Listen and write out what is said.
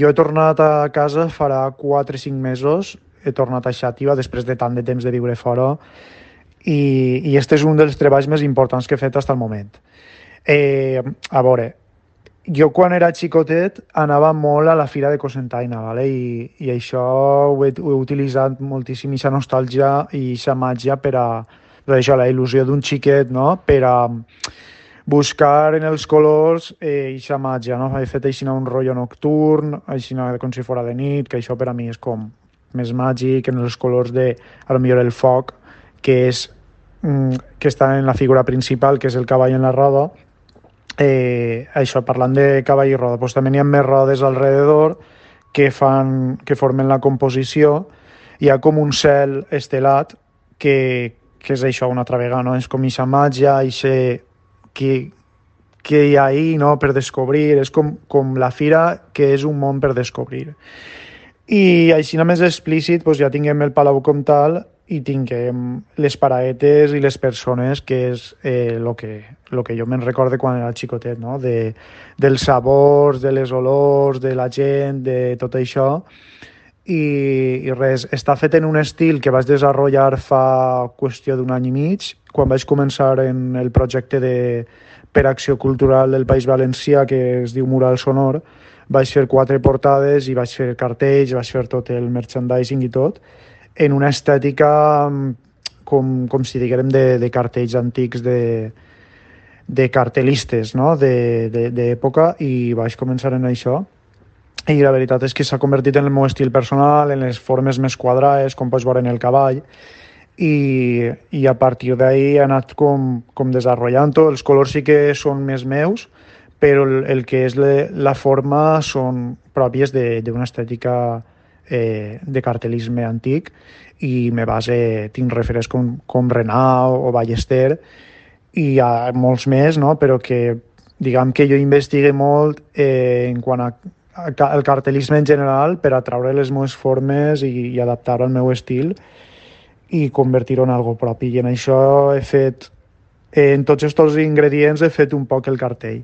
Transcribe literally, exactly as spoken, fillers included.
Jo he tornat a casa farà quatre o cinc mesos, he tornat a Xàtiva després de tant de temps de viure fora i, i este és un dels treballs més importants que he fet fins al moment. Eh, a veure, jo quan era xicotet anava molt a la fira de Cocentaina, ¿vale? I, i això ho he, ho he utilitzat moltíssim, aquesta nostàlgia i aquesta màgia per a, per a això, la il·lusió d'un xiquet, no? Per a buscar en els colors eh, aquesta màgia, no? He fet així un rotllo nocturn, així com si fora de nit, que això per a mi és com més màgic, en els colors de, a lo millor el foc, que és mm, que està en la figura principal, que és el cavall en la roda. Eh, això, parlant de cavall i roda, doncs també n'hi ha més rodes alrededor que, fan, que formen la composició. Hi ha com un cel estelat que, que és això una altra vegada, no? És com aquesta màgia, això que, que hi ha ahí, no? Per descobrir, és com, com la fira que és un món per descobrir. I així més explícit doncs ja tinguem el Palau Comtal i tinguem les paraetes i les persones, que és el eh, que, lo que jo me'n recorde quan era xicotet, no? De, dels sabors, de les olors, de la gent, de tot això. I, i res, està fet en un estil que vaig desenvolupar fa qüestió d'un any i mig, quan vaig començar en el projecte de, per Acció Cultural del País Valencià, que es diu Mural Sonor. Vaig fer quatre portades i vaig fer cartells, vaig fer tot el merchandising i tot, en una estètica com, com si diguem de, de cartells antics de, de cartelistes, no? D'època, i vaig començar en això. I la veritat és que s'ha convertit en el meu estil personal, en les formes més quadrades, com pots veure en el cavall, i, i a partir d'ahir he anat com, com desenvolupant-ho. Els colors sí que són més meus, però el, el que és le, la forma són pròpies d'una estètica eh, de cartelisme antic, i me base, tinc referents com, com Renau o Ballester, i hi ha molts més, no? Però que diguem que jo investigue molt eh, en quant a el cartelisme en general per atraure les meves formes i, i adaptar-ho al meu estil i convertir-ho en algo propi. I en això he fet, en tots aquests ingredients he fet un poc el cartell.